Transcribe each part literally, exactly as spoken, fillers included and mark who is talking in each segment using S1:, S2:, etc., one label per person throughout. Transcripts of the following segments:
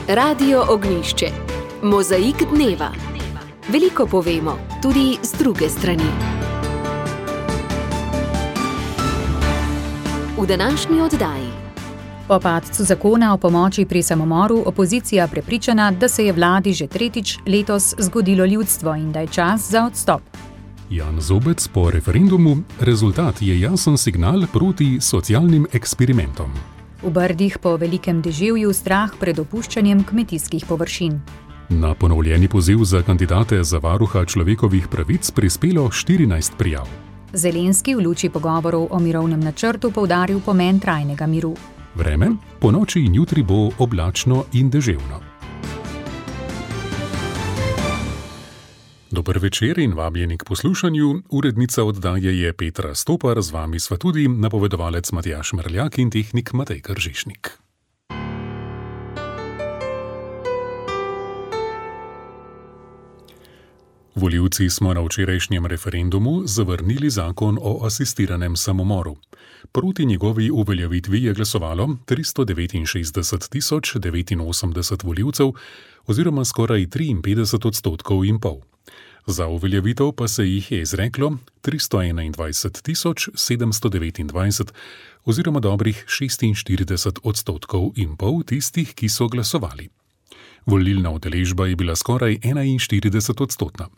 S1: Radio Ognjišče. Mozaik dneva. Veliko povemo, tudi z druge strani. V današnji oddaji.
S2: Po padcu zakona o pomoči pri samomoru opozicija prepričana, da se je vladi že tretjič letos zgodilo ljudstvo in da je čas za odstop.
S3: Jan Zobec po referendumu: rezultat je jasen signal proti socialnim eksperimentom.
S2: V Brdih po velikem deževju strah pred opuščanjem kmetijskih površin.
S3: Na ponovljeni poziv za kandidate za varuha človekovih pravic prispelo štirinajst prijav.
S2: Zelenski v luči pogovorov o mirovnem načrtu poudaril pomen trajnega miru.
S3: Vreme: po noči in jutri bo oblačno in deževno. Dober večer in vabljeni k poslušanju. Urednica oddaje je Petra Stopar, z vami sva tudi napovedovalec Matjaž Merljak in tehnik Matej Kržišnik. Volivci smo na včerajšnjem referendumu zavrnili zakon o asistiranem samomoru. Proti njegovi uveljavitvi je glasovalo tristo devetinšestdeset tisoč devetinosemdeset volivcev oziroma skoraj triinpetdeset odstotkov in pol. Za uveljavitev pa se jih je izreklo tristo enaindvajset tisoč sedemsto devetindvajset oziroma dobrih šestinštirideset odstotkov in pol tistih, ki so glasovali. Volilna udeležba je bila skoraj enainštirideset odstotna.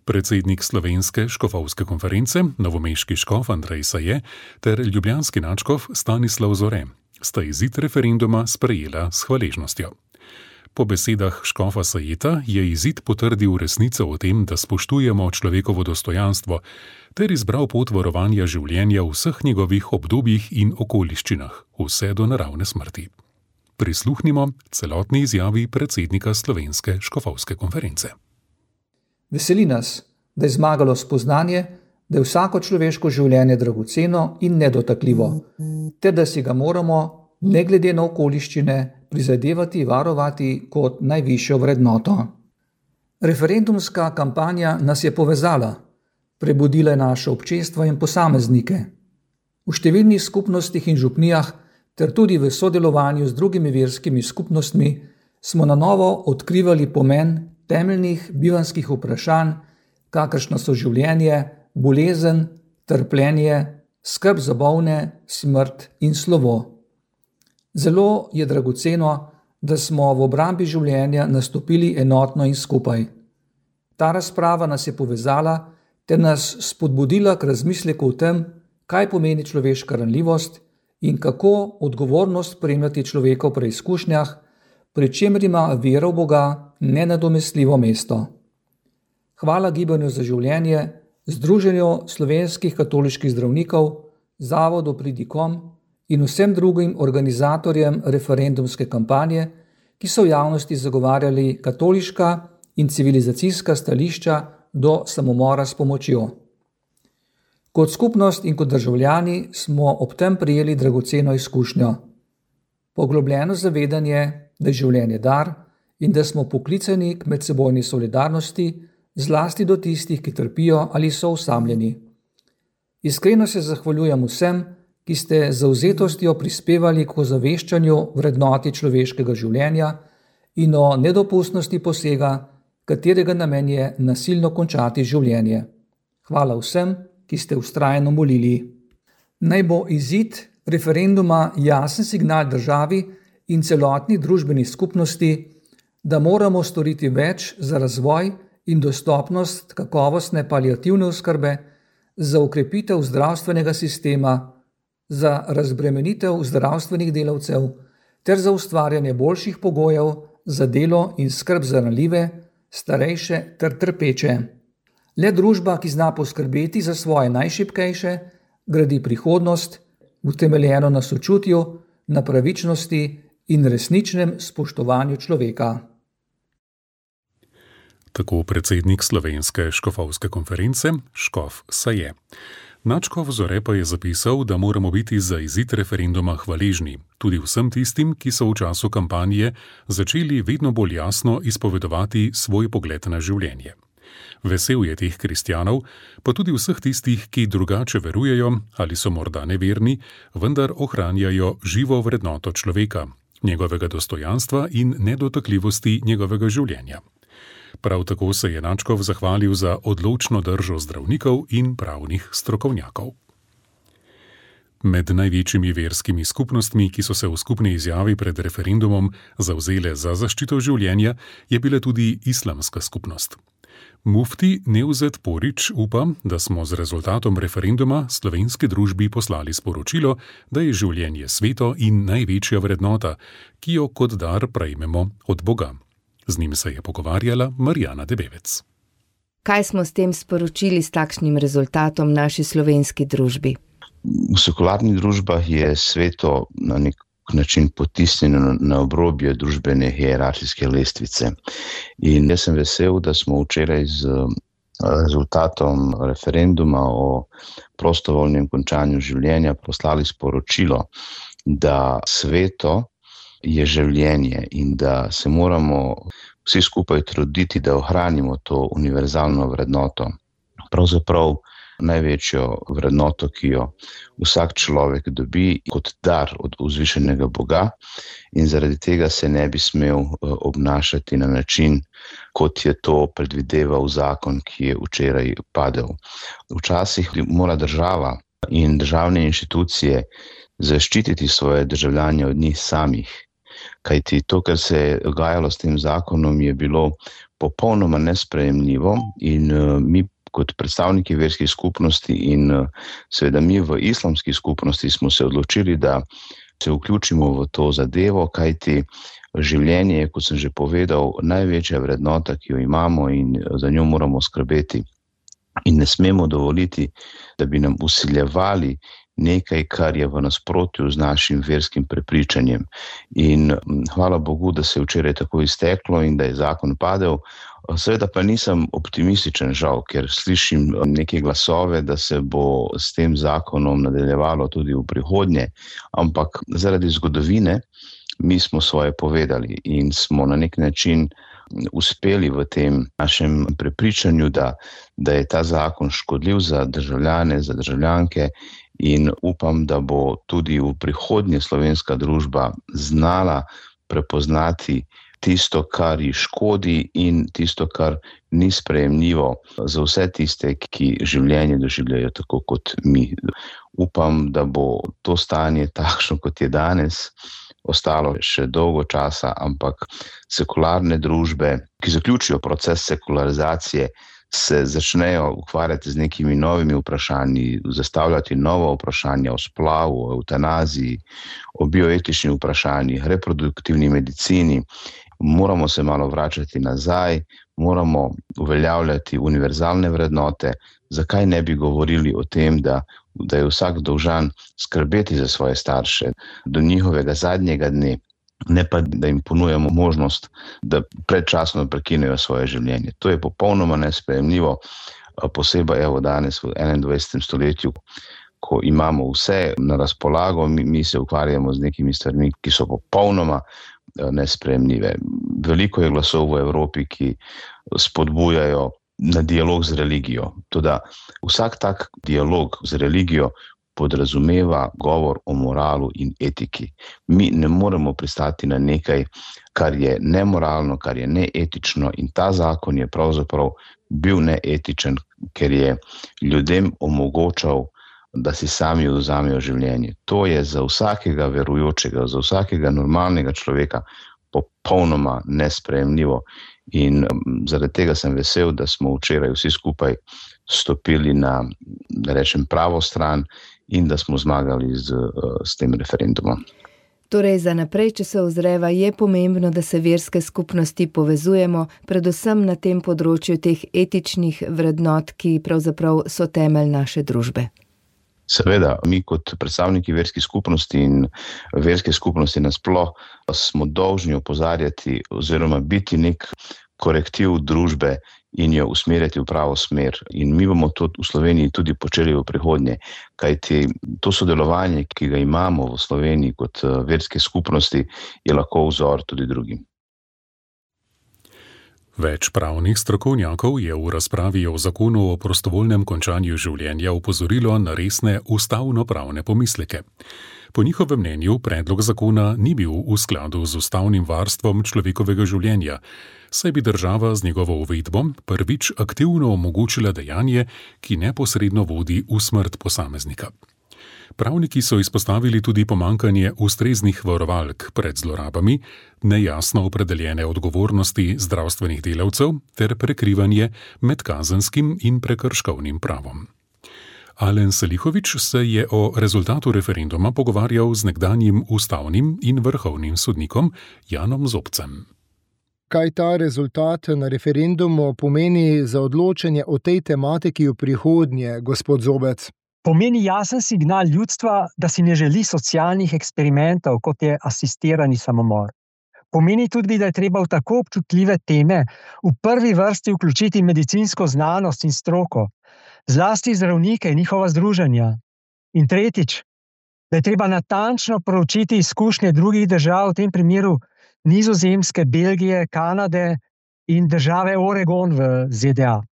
S3: Predsednik Slovenske škofovske konference, novomeški škof Andrej Saje ter ljubljanski nadškof Stanislav Zore sta izid referenduma sprejela s hvaležnostjo. Po besedah škofa Sajeta je izid potrdil resnico o tem, da spoštujemo človekovo dostojanstvo, ter izbral pot varovanja življenja v vseh njegovih obdobjih in okoliščinah, vse do naravne smrti. Prisluhnimo celotni izjavi predsednika Slovenske škofovske konference.
S4: Veseli nas, da je zmagalo spoznanje, da je vsako človeško življenje dragoceno in nedotakljivo, ter da si ga moramo, ne glede na okoliščine, prizadevati varovati kot najvišjo vrednoto. Referendumska kampanja nas je povezala, prebudila je naše občestvo in posameznike. V številnih skupnostih in župnijah ter tudi v sodelovanju z drugimi verskimi skupnostmi smo na novo odkrivali pomen temeljnih bivanjskih vprašanj, kakršna so življenje, bolezen, trpljenje, skrb za bolne, smrt in slovo. Zelo je dragoceno, da smo v obrambi življenja nastopili enotno in skupaj. Ta razprava nas je povezala ter nas spodbudila k razmisleku o tem, kaj pomeni človeška ranljivost in kako odgovornost spremljati človeka v preizkušnjah, pri čemer ima vera v Boga nenadomestljivo mesto. Hvala Gibanju za življenje, Združenju slovenskih katoliških zdravnikov, Zavodu Pridikom in vsem drugim organizatorjem referendumske kampanje, ki so v javnosti zagovarjali katoliška in civilizacijska stališča do samomora s pomočjo. Kot skupnost in kot državljani smo ob tem prijeli dragoceno izkušnjo. Poglobljeno zavedanje, da je življenje dar in da smo poklicani k medsebojni solidarnosti, zlasti do tistih, ki trpijo ali so osamljeni. Iskreno se zahvaljujem vsem, ki ste z zavzetostjo prispevali k ozaveščanju vrednoti človeškega življenja in o nedopustnosti posega, katerega namen je nasilno končati življenje. Hvala vsem, ki ste vztrajno molili. Naj bo izid referenduma jasen signal državi in celotni družbeni skupnosti, da moramo storiti več za razvoj in dostopnost kakovostne paliativne oskrbe, za okrepitev zdravstvenega sistema, za razbremenitev zdravstvenih delavcev ter za ustvarjanje boljših pogojev za delo in skrb za ranljive, starejše ter trpeče. Le družba, ki zna poskrbeti za svoje najšibkejše, gradi prihodnost, utemeljeno na sočutju, na pravičnosti in resničnem spoštovanju človeka.
S3: Tako predsednik Slovenske škofovske konference, škof Saje. Nadškof Zore pa je zapisal, da moramo biti za izid referenduma hvaležni, tudi vsem tistim, ki so v času kampanje začeli vedno bolj jasno izpovedovati svoj pogled na življenje. Vesel je teh kristjanov, pa tudi vseh tistih, ki drugače verujejo ali so morda neverni, vendar ohranjajo živo vrednoto človeka, njegovega dostojanstva in nedotakljivosti njegovega življenja. Prav tako se je Nadškov zahvalil za odločno držo zdravnikov in pravnih strokovnjakov. Med največjimi verskimi skupnostmi, ki so se v skupni izjavi pred referendumom zavzele za zaščito življenja, je bila tudi islamska skupnost. Mufti Nevzet Porić upa, da smo z rezultatom referenduma slovenski družbi poslali sporočilo, da je življenje sveto in največja vrednota, ki jo kot dar prejmemo od Boga. Z njim se je pogovarjala Marjana Debevec.
S5: Kaj smo s tem sporočili s takšnim rezultatom naši slovenski družbi?
S6: V sekularnih družbah je sveto na nek način potisnjeno na obrobje družbene hierarhijske lestvice. In jaz sem vesel, da smo včeraj z rezultatom referenduma o prostovoljnem končanju življenja poslali sporočilo, da sveto je življenje in da se moramo vsi skupaj truditi, da ohranimo to univerzalno vrednoto. Pravzaprav največjo vrednoto, ki jo vsak človek dobi kot dar od vzvišenega Boga, in zaradi tega se ne bi smel obnašati na način, kot je to predvideval zakon, ki je včeraj padel. Včasih mora država in državne inštitucije zaščititi svoje državljane od njih samih, kajti to, kar se je dogajalo s tem zakonom, je bilo popolnoma nesprejemljivo in mi kot predstavniki verskih skupnosti in seveda mi v islamski skupnosti smo se odločili, da se vključimo v to zadevo, kajti življenje je, kot sem že povedal, največja vrednota, ki jo imamo in za njo moramo skrbeti. In ne smemo dovoliti, da bi nam vsiljevali nekaj, kar je v nasprotju z našim verskim prepričanjem. In hvala Bogu, da se je včeraj tako izteklo in da je zakon padel. Seveda pa nisem optimističen, žal, ker slišim neke glasove, da se bo s tem zakonom nadaljevalo tudi v prihodnje, ampak zaradi zgodovine mi smo svoje povedali in smo na nek način uspeli v tem našem prepričanju, da, da je ta zakon škodljiv za državljane, za državljanke, in upam, da bo tudi v prihodnje slovenska družba znala prepoznati tisto, kar ji škodi in tisto, kar ni sprejemljivo za vse tiste, ki življenje doživljajo tako kot mi. Upam, da bo to stanje takšno, kot je danes, ostalo še dolgo časa, ampak sekularne družbe, ki zaključijo proces sekularizacije, se začnejo ukvarjati z nekimi novimi vprašanji, zastavljati nova vprašanja o splavu, o eutanaziji, o bioetičnih vprašanjih, reproduktivni medicini. Moramo se malo vračati nazaj, moramo uveljavljati univerzalne vrednote. Zakaj ne bi govorili o tem, da, da je vsak dolžan skrbeti za svoje starše do njihovega zadnjega dne, ne pa da jim ponujamo možnost, da predčasno prekinejo svoje življenje. To je popolnoma nesprejemljivo, posebej evo danes v enaindvajsetem stoletju, ko imamo vse na razpolago, mi, mi se ukvarjamo z nekimi stvarmi, ki so popolnoma nesprejemljive. Veliko je glasov v Evropi, ki spodbujajo na dialog z religijo. Toda vsak tak dialog z religijo podrazumeva govor o moralu in etiki. Mi ne moremo pristati na nekaj, kar je nemoralno, kar je neetično, in ta zakon je pravzaprav bil neetičen, ker je ljudem omogočal, da si sami vzamejo življenje. To je za vsakega verujočega, za vsakega normalnega človeka popolnoma nesprejemljivo. In zaradi tega sem vesel, da smo včeraj vsi skupaj stopili na, da rečem, pravo stran in da smo zmagali z, s tem referendumom.
S5: Torej, za naprej, če se ozreva, je pomembno, da se verske skupnosti povezujemo, predvsem na tem področju teh etičnih vrednot, ki pravzaprav so temelj naše družbe.
S6: Seveda, mi kot predstavniki verskih skupnosti in verske skupnosti nasploh smo dolžni opozarjati oziroma biti nek korektiv družbe in jo usmerjati v pravo smer. In mi bomo to v Sloveniji tudi počeli v prihodnje, kajti to sodelovanje, ki ga imamo v Sloveniji kot verske skupnosti, je lahko vzor tudi drugim.
S3: Več pravnih strokovnjakov je v razpravi o zakonu o prostovoljnem končanju življenja opozorilo na resne ustavno-pravne pomisleke. Po njihovem mnenju predlog zakona ni bil v skladu z ustavnim varstvom človekovega življenja, saj bi država z njegovo uvedbo prvič aktivno omogočila dejanje, ki neposredno vodi v smrt posameznika. Pravniki so izpostavili tudi pomankanje ustreznih varovalk pred zlorabami, nejasno opredeljene odgovornosti zdravstvenih delavcev ter prekrivanje med kazenskim in prekrškovnim pravom. Alen Selihovič se je o rezultatu referenduma pogovarjal z nekdanjim ustavnim in vrhovnim sodnikom Janom Zobcem.
S7: Kaj ta rezultat na referendumu pomeni za odločanje o tej tematiki v prihodnje, gospod Zobec?
S8: Pomeni jasen signal ljudstva, da si ne želi socialnih eksperimentov, kot je asistirani samomor. Pomeni tudi, da je treba v tako občutljive teme v prvi vrsti vključiti medicinsko znanost in stroko, zlasti zdravnike in njihova združenja. In tretjič, da je treba natančno proučiti izkušnje drugih držav, v tem primeru Nizozemske, Belgije, Kanade in države Oregon v Z D A.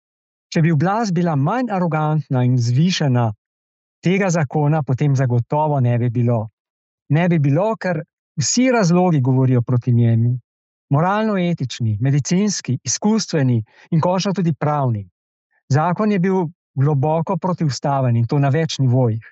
S8: Če bi oblast bila manj arogantna in zvišena, tega zakona potem zagotovo ne bi bilo. Ne bi bilo, ker vsi razlogi govorijo proti njemu. Moralno-etični, medicinski, izkustveni in končno tudi pravni. Zakon je bil globoko protiustaven in to na več nivojih.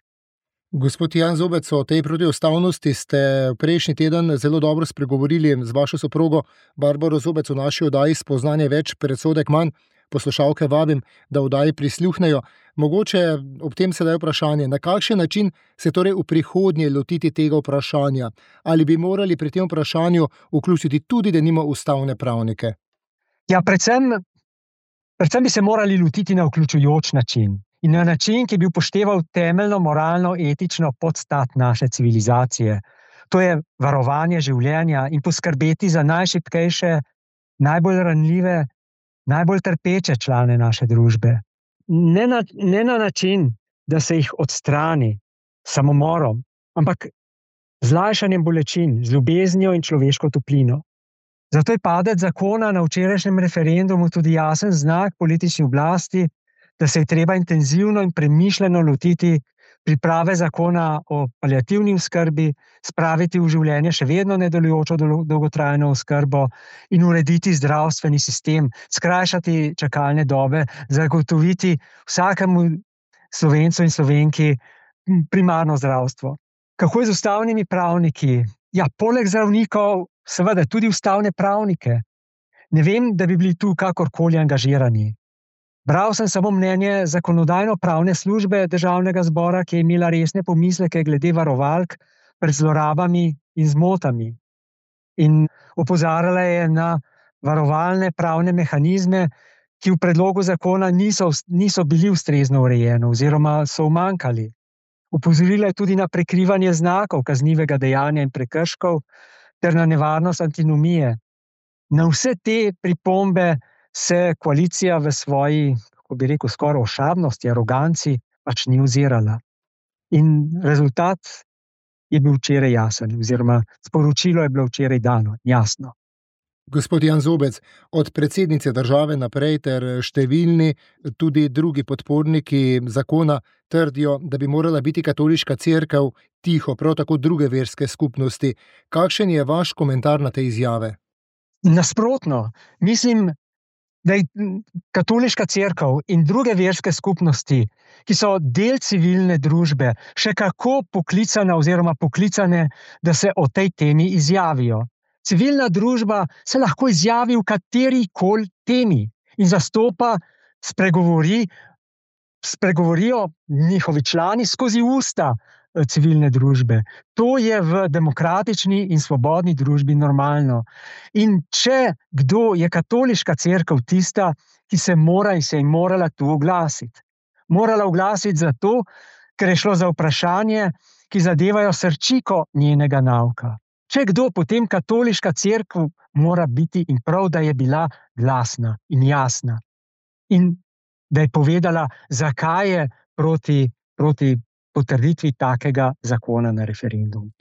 S7: Gospod Jan Zobec, o tej protiustavnosti ste prejšnji teden zelo dobro spregovorili z vašo soprogo Barbaro Zobec v naši oddaji Spoznanje več, predsodek manj. Poslušalke vabim, da oddaji prisluhnejo. Mogoče ob tem sedaj vprašanje, na kakšen način se torej v prihodnje lotiti tega vprašanja? Ali bi morali pri tem vprašanju vključiti tudi denimo ustavne pravnike?
S8: Ja, predvsem, predvsem bi se morali lotiti na vključujoč način. In na način, ki bi upošteval temeljno moralno etično podstat naše civilizacije. To je varovanje življenja in poskrbeti za najšibkejše, najbolj ranljive, najbolj trpeče člane naše družbe. Ne na, ne na način, da se jih odstrani samomorom, ampak z lajšanjem bolečin, z ljubeznijo in človeško toplino. Zato je padec zakona na včerajšnjem referendumu tudi jasen znak politični oblasti, da se je treba intenzivno in premišljeno lotiti priprave zakona o paliativni oskrbi, spraviti v življenje še vedno nedelujočo dolgotrajno oskrbo in urediti zdravstveni sistem, skrajšati čakalne dobe, zagotoviti vsakemu Slovencu in Slovenki primarno zdravstvo. Kako je z ustavnimi pravniki? Ja, poleg zdravnikov, seveda tudi ustavne pravnike. Ne vem, da bi bili tu kakorkoli angažirani. Bral sem samo mnenje zakonodajno-pravne službe Državnega zbora, ki je imela resne pomisleke glede varovalk pred zlorabami in zmotami. In opozarjala je na varovalne pravne mehanizme, ki v predlogu zakona niso, niso bili ustrezno urejeni oziroma so umanjkali. Opozorila je tudi na prekrivanje znakov kaznivega dejanja in prekrškov ter na nevarnost antinomije. Na vse te pripombe se koalicija v svoji, kako bi rekel, skoraj ošabnosti, aroganci pač ni ozirala. In rezultat je bil včeraj jasen, oziroma sporočilo je bilo včeraj dano, jasno.
S7: Gospod Jan Zobec, od predsednice države naprej ter številni tudi drugi podporniki zakona trdijo, da bi morala biti katoliška cerkev tiho, prav tako druge verske skupnosti. Kakšen je vaš komentar na te izjave?
S8: Nasprotno, mislim, da je katoliška cerkev in druge verske skupnosti, ki so del civilne družbe, še kako poklicana oziroma poklicane, da se o tej temi izjavijo. Civilna družba se lahko izjavi v katerikoli temi in zastopa, spregovori, spregovorijo njihovi člani skozi usta civilne družbe. To je v demokratični in svobodni družbi normalno. In če kdo je katoliška cerkev tista, ki se mora in se je morala tu oglasiti. Morala oglasiti zato, ker je šlo za vprašanje, ki zadevajo srčiko njenega nauka. Če kdo, potem katoliška cerkev mora biti in prav, da je bila glasna in jasna. In da je povedala, zakaj je proti, proti potrditvi takega zakona na referendum.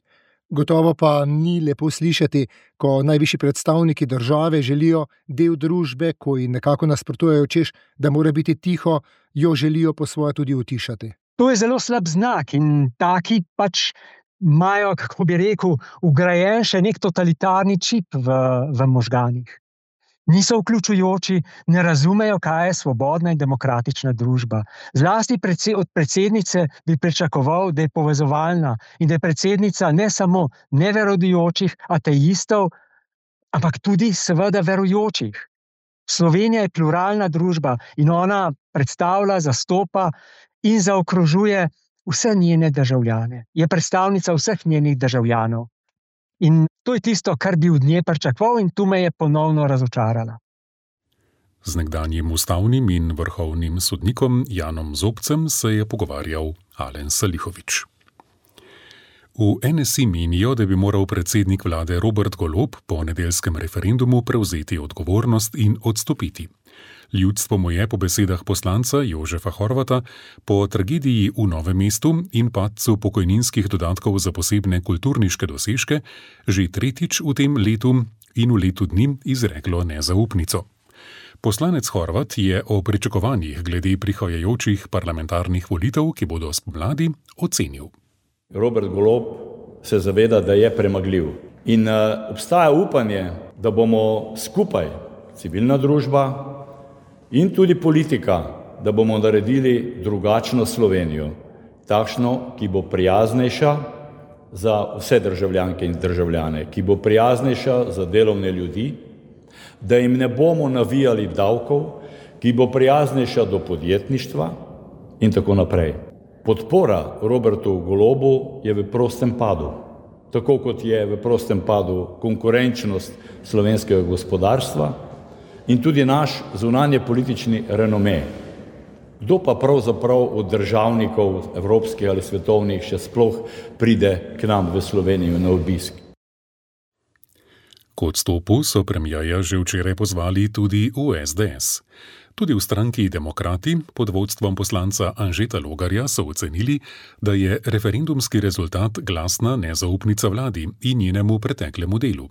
S7: Gotovo pa ni lepo slišati, ko najvišji predstavniki države želijo del družbe, ko ji nekako nasprotujejo, češ, da mora biti tiho, jo želijo po svoje tudi utišati.
S8: To je zelo slab znak in taki pač imajo, kako bi rekel, vgrajen še nek totalitarni čip v, v možganih. Niso vključujoči, ne razumejo, kaj je svobodna in demokratična družba. Zlasti predse, od predsednice bi pričakoval, da je povezovalna in da je predsednica ne samo neverodojočih ateistov, ampak tudi seveda verujočih. Slovenija je pluralna družba in ona predstavlja, zastopa in zaokrožuje vse njene državljane. Je predstavnica vseh njenih državljanov. In to je tisto, kar bi od nje pričakoval, in tu me je ponovno razočarala.
S3: Z nekdanjim ustavnim in vrhovnim sodnikom Janom Zobcem se je pogovarjal Alen Salihović. V N S I menijo, da bi moral predsednik vlade Robert Golob po nedeljskem referendumu prevzeti odgovornost in odstopiti. Ljudstvo mu je po besedah poslanca Jožefa Horvata po tragediji v Novem mestu in padcu pokojninskih dodatkov za posebne kulturniške dosežke že tretjič v tem letu in v letu dni izreklo nezaupnico. Poslanec Horvat je o pričakovanjih glede prihajajočih parlamentarnih volitev, ki bodo spomladi, ocenil.
S9: Robert Golob se zaveda, da je premagljiv in uh, obstaja upanje, da bomo skupaj, civilna družba in tudi politika, da bomo naredili drugačno Slovenijo, takšno, ki bo prijaznejša za vse državljanke in državljane, ki bo prijaznejša za delovne ljudi, da jim ne bomo navijali davkov, ki bo prijaznejša do podjetništva in tako naprej. Podpora Robertu Golobu je v prostem padu, tako kot je v prostem padu konkurenčnost slovenskega gospodarstva in tudi naš zunanje politični renome. Kdo pa pravzaprav od državnikov evropskih ali svetovnih še sploh pride k nam v Slovenijo na obisk?
S3: K odstopu so premierja že včeraj pozvali tudi v S D S. Tudi v stranki Demokrati pod vodstvom poslanca Anžeta Logarja so ocenili, da je referendumski rezultat glasna nezaupnica vladi in njenemu preteklemu delu.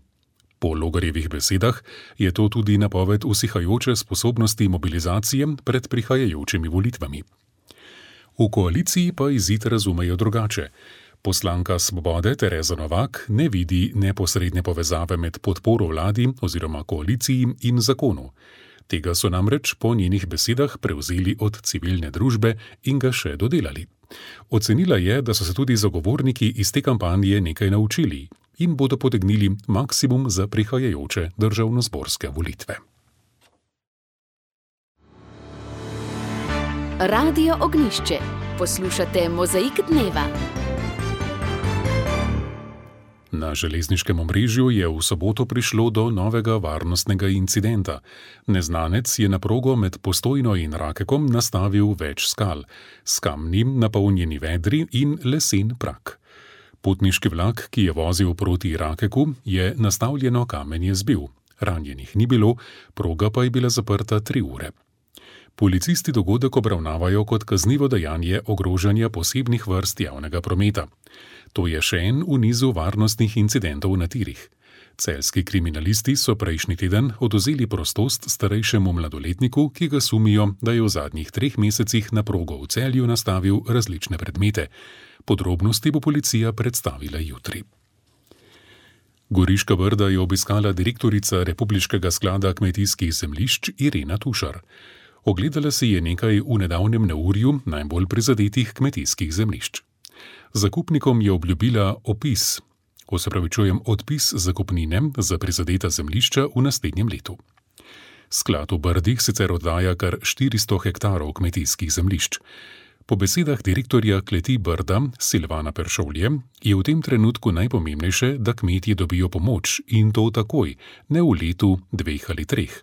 S3: Po Logarjevih besedah je to tudi napoved usihajoče sposobnosti mobilizacije pred prihajajočimi volitvami. V koaliciji pa izid razumejo drugače. Poslanka Svobode Tereza Novak ne vidi neposredne povezave med podporo vladi oziroma koaliciji in zakonu. Tega so namreč po njenih besedah prevzeli od civilne družbe in ga še dodelali. Ocenila je, da so se tudi zagovorniki iz te kampanje nekaj naučili in bodo potegnili maksimum za prihajajoče državnozborske volitve.
S1: Radio Ognjišče. Poslušate Mozaik dneva.
S3: Na železniškem omrežju je v soboto prišlo do novega varnostnega incidenta. Neznanec je na progo med Postojno in Rakekom nastavil več skal, s kamnim napolnjeni vedri in lesen prak. Potniški vlak, ki je vozil proti Rakeku, je nastavljeno kamenje zbil. Ranjenih ni bilo, proga pa je bila zaprta tri ure. Policisti dogodek obravnavajo kot kaznivo dejanje ogrožanja posebnih vrst javnega prometa. To je še en v nizu varnostnih incidentov na tirih. Celjski kriminalisti so prejšnji teden odvzeli prostost starejšemu mladoletniku, ki ga sumijo, da je v zadnjih treh mesecih na progo v Celju nastavil različne predmete. Podrobnosti bo policija predstavila jutri. Goriška Brda je obiskala direktorica Republiškega sklada kmetijskih zemljišč Irena Tušar. Ogledala si je nekaj v nedavnem neurju najbolj prizadetih kmetijskih zemljišč. Zakupnikom je obljubila opis, opravičujem odpis zakupnine za prizadeta zemljišča v naslednjem letu. Sklad v Brdih sicer oddaja kar štiristo hektarov kmetijskih zemljišč. Po besedah direktorja kleti Brda Silvana Peršolje je v tem trenutku najpomembnejše, da kmetje dobijo pomoč in to takoj, ne v letu, dveh ali treh.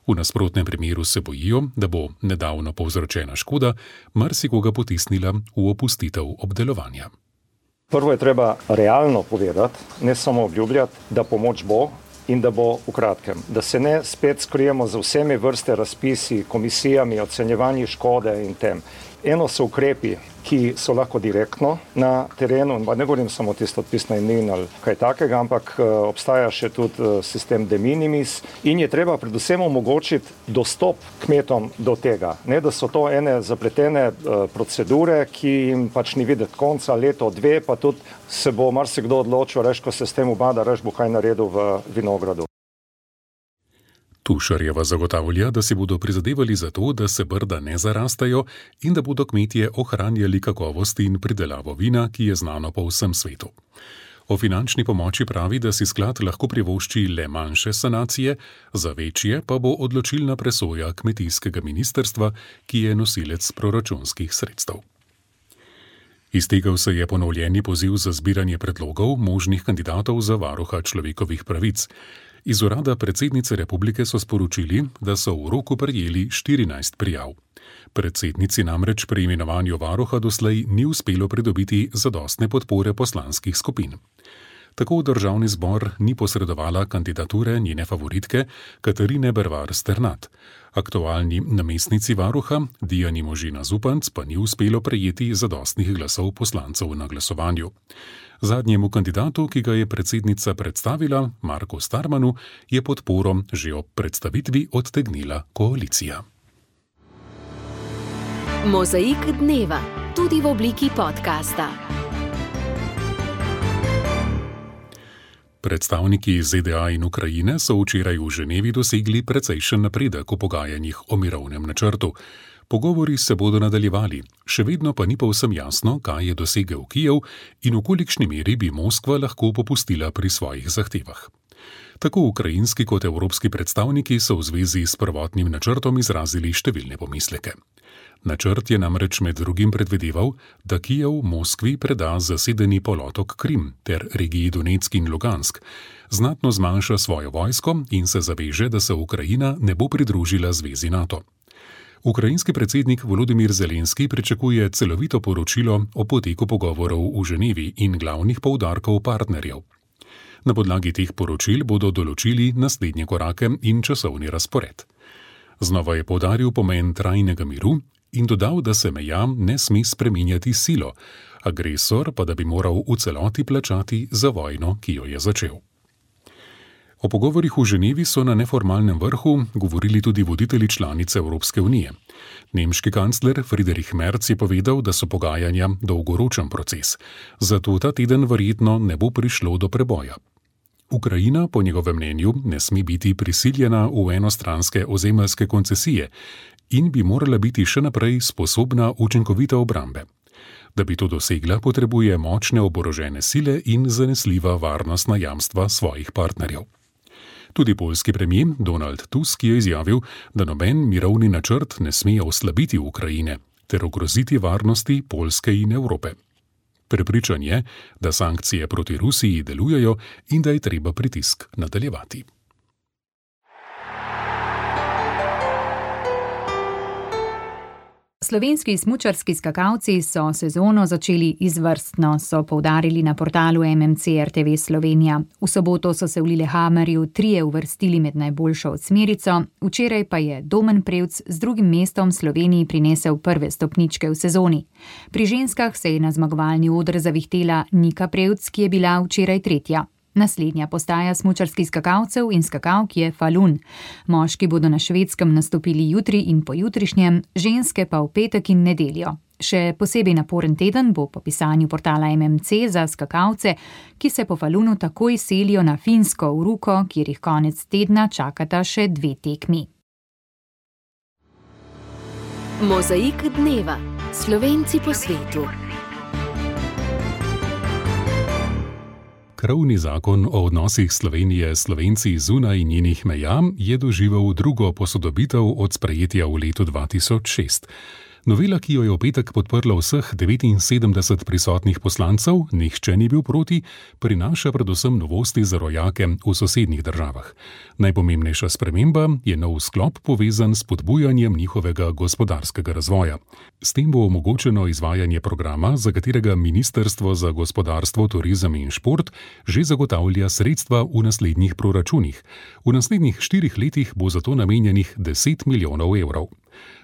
S3: V nasprotnem primeru se bojijo, da bo nedavno povzročena škoda marsikoga potisnila v opustitev obdelovanja.
S10: Prvo je treba realno povedati, ne samo obljubljati, da pomoč bo in da bo v kratkem. Da se ne spet skrijemo za vsemi vrste razpisi, komisijami, ocenjevanji škode in tem. eno so ukrepi, ki so lahko direktno na terenu, ne govorim samo tisto odpis najemnin ali kaj takega, ampak obstaja še tudi sistem de minimis in je treba predvsem omogočiti dostop kmetom do tega. Ne, da so to ene zapletene procedure, ki jim pač ni videti konca, leto, dve, pa tudi se bo marsikdo odločil, reš, ko se s tem ubada, reš, bo kaj naredil v vinogradu.
S3: Tušarjeva zagotavlja, da si bodo prizadevali za to, da se brda ne zarastajo in da bodo kmetje ohranjali kakovost in pridelavo vina, ki je znano po vsem svetu. O finančni pomoči pravi, da si sklad lahko privošči le manjše sanacije, za večje pa bo odločilna presoja kmetijskega ministrstva, ki je nosilec proračunskih sredstev. Iztekel se je ponovljeni poziv za zbiranje predlogov možnih kandidatov za varuha človekovih pravic. Iz urada predsednice republike so sporočili, da so v roku prejeli štirinajst prijav. Predsednici namreč pri imenovanju varuha doslej ni uspelo pridobiti zadostne podpore poslanskih skupin. Tako državni zbor ni posredovala kandidature njene favoritke Katarine Bervar Sternat. Aktualni namestnici varuha Dijani Možina Zupanc pa ni uspelo prejeti zadostnih glasov poslancev na glasovanju. Zadnjemu kandidatu, ki ga je predsednica predstavila, Marku Starmanu, je podporo že ob predstavitvi odtegnila koalicija.
S1: Mozaik dneva, tudi v obliki podcasta.
S3: Predstavniki Z D A in Ukrajine so včeraj v Ženevi dosegli precejšen napredek v pogajanjih o mirovnem načrtu. Pogovori se bodo nadaljevali, še vedno pa ni povsem jasno, kaj je dosegel Kijev in v kolikšni meri bi Moskva lahko popustila pri svojih zahtevah. Tako ukrajinski kot evropski predstavniki so v zvezi s prvotnim načrtom izrazili številne pomisleke. Načrt je namreč med drugim predvideval, da Kijev Moskvi preda zasedeni polotok Krim ter regiji Donetsk in Lugansk, znatno zmanjša svojo vojsko in se zaveže, da se Ukrajina ne bo pridružila zvezi NATO. Ukrajinski predsednik Volodimir Zelenski pričakuje celovito poročilo o poteku pogovorov v Ženevi in glavnih poudarkov partnerjev. Na podlagi teh poročil bodo določili naslednje korake in časovni razpored. Znova je poudaril pomen trajnega miru in dodal, da se meja ne sme spreminjati silo, agresor pa da bi moral v celoti plačati za vojno, ki jo je začel. O pogovorih v Ženevi so na neformalnem vrhu govorili tudi voditelji članice Evropske unije. Nemški kancler Friedrich Merz je povedal, da so pogajanja dolgoročen proces, zato ta teden verjetno ne bo prišlo do preboja. Ukrajina po njegovem mnenju ne sme biti prisiljena v enostranske ozemeljske koncesije in bi morala biti še naprej sposobna učinkovite obrambe. Da bi to dosegla, potrebuje močne oborožene sile in zanesljiva varnostna jamstva svojih partnerjev. Tudi poljski premijer Donald Tusk je izjavil, da noben mirovni načrt ne sme oslabiti Ukrajine ter ogroziti varnosti Poljske in Evrope. Prepričan je, da sankcije proti Rusiji delujejo in da je treba pritisk nadaljevati.
S2: Slovenski smučarski skakalci so sezono začeli izvrstno, so poudarili na portalu M M C R T V Slovenija. V soboto so se v Lillehammerju trije uvrstili med najboljšo osmerico, včeraj pa je Domen Prevc z drugim mestom Sloveniji prinesel prve stopničke v sezoni. Pri ženskah se je na zmagovalni oder zavihtela Nika Prevc, ki je bila včeraj tretja. Naslednja postaja smučarskih skakalcev in skakalk je Falun. Moški bodo na Švedskem nastopili jutri in pojutrišnjem, ženske pa v petek in nedeljo. Še posebej naporen teden bo po pisanju portala M M C za skakalce, ki se po Falunu takoj selijo na Finsko v Ruko, kjer jih konec tedna čakata še dve tekmi.
S1: Mozaik dneva. Slovenci po svetu.
S3: Krovni zakon o odnosih Slovenije s Slovenci zunaj njenih meja je doživel drugo posodobitev od sprejetja v letu dva tisoč šest. Novela, ki jo je v petek podprlo vseh devetinsedemdeset prisotnih poslancev, nihče ni bil proti, prinaša predvsem novosti za rojake v sosednjih državah. Najpomembnejša sprememba je nov sklop povezan s spodbujanjem njihovega gospodarskega razvoja. S tem bo omogočeno izvajanje programa, za katerega Ministrstvo za gospodarstvo, turizem in šport že zagotavlja sredstva v naslednjih proračunih. V naslednjih štirih letih bo za to namenjenih deset milijonov evrov.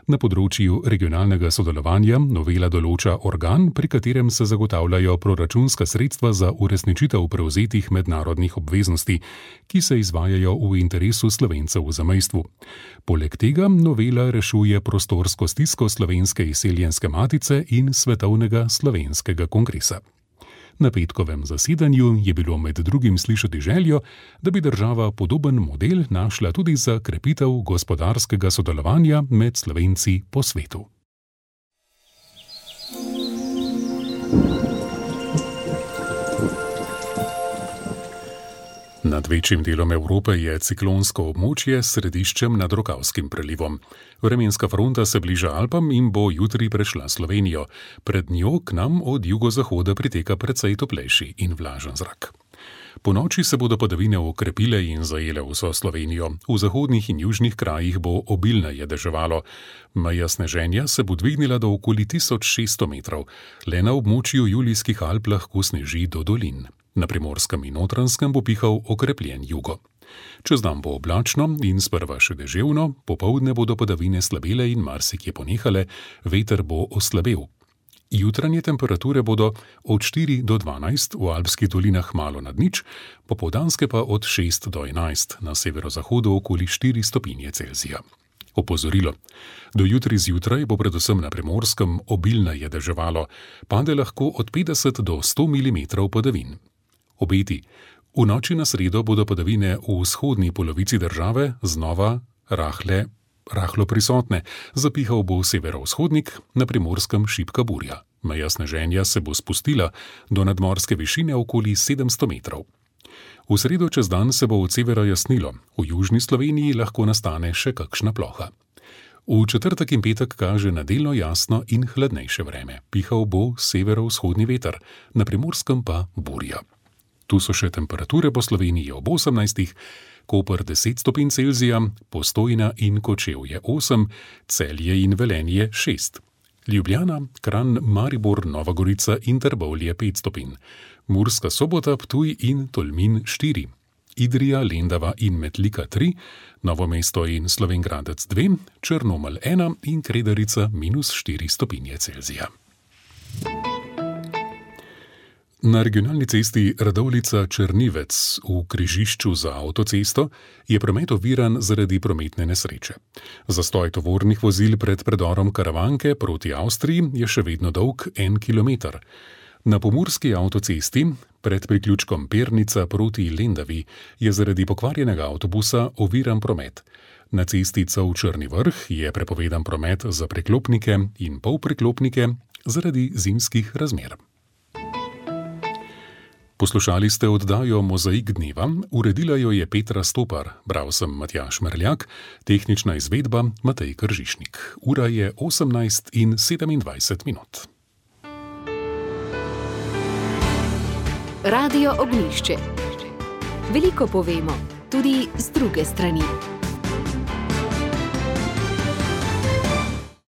S3: Na področju regionalnega sodelovanja novela določa organ, pri katerem se zagotavljajo proračunska sredstva za uresničitev prevzetih mednarodnih obveznosti, ki se izvajajo v interesu Slovencev v zamejstvu. Poleg tega novela rešuje prostorsko stisko Slovenske izseljenske matice in Svetovnega slovenskega kongresa. Na petkovem zasedanju je bilo med drugim slišati željo, da bi država podoben model našla tudi za krepitev gospodarskega sodelovanja med Slovenci po svetu. Nad večjim delom Evrope je ciklonsko območje s središčem nad Rokavskim prelivom. Vremenska fronta se bliža Alpam in bo jutri prešla Slovenijo. Pred njo k nam od jugozahoda priteka precej toplejši in vlažen zrak. Po noči se bodo padavine okrepile in zajele vso Slovenijo. V zahodnih in južnih krajih bo obilneje deževalo. Meja sneženja se bo dvignila do okoli tisoč šeststo metrov. Le na območju Julijskih Alp lahko sneži do dolin. Na Primorskem in Notranjskem bo pihal okrepljen jugo. Čez dan bo oblačno in sprva še deževno, popoldne bodo padavine slabele in marsikje ponehale, veter bo oslabel. Jutranje temperature bodo od štiri do dvanajst, v alpskih dolinah malo nad nič, popoldanske pa od šest do enajst, na severozahodu okoli štiri stopinje Celzija. Opozorilo. Do jutri zjutraj bo predvsem na Primorskem obilneje deževalo, pade lahko od petdeset do sto milimetrov padavin. Obeti. V noči na sredo bodo padavine v vzhodni polovici države znova rahle, rahlo prisotne. Zapihal bo severovzhodnik, na Primorskem šibka burja. Meja sneženja se bo spustila do nadmorske višine okoli sedemsto metrov. V sredo čez dan se bo od severa jasnilo, v južni Sloveniji lahko nastane še kakšna ploha. V četrtek in petek kaže na delno jasno in hladnejše vreme. Pihal bo severovzhodni veter, na Primorskem pa burja. Tu so še temperature po Sloveniji ob osemnajstih, Koper deset stopinj Celzija, Postojna in Kočevje osem, Celje in Velenje šest. Ljubljana, Kranj, Maribor, Nova Gorica in Trbovlje pet stopinj. Murska Sobota, Ptuj in Tolmin štiri. Idrija, Lendava in Metlika tri, Novo mesto in Slovenj Gradec dve, Črnomelj ena in Kredarica minus štiri stopinje Celzija. Na regionalni cesti Radovljica-Črnivec v križišču za avtocesto je promet oviran zaradi prometne nesreče. Zastoj tovornih vozil pred predorom Karavanke proti Avstriji je še vedno dolg en kilometer. Na pomurski avtocesti pred priključkom Pernica proti Lendavi je zaradi pokvarjenega avtobusa oviran promet. Na cesti Cov-Črni vrh je prepovedan promet za preklopnike in polpreklopnike zaradi zimskih razmer. Poslušali ste oddajo Mozaik dneva, uredila jo je Petra Stopar, bral sem Matjaž Merljak, tehnična izvedba Matej Kržišnik. Ura je osemnajst in sedemindvajset minut.
S1: Radio Ognjišče. Veliko povemo, tudi z druge strani.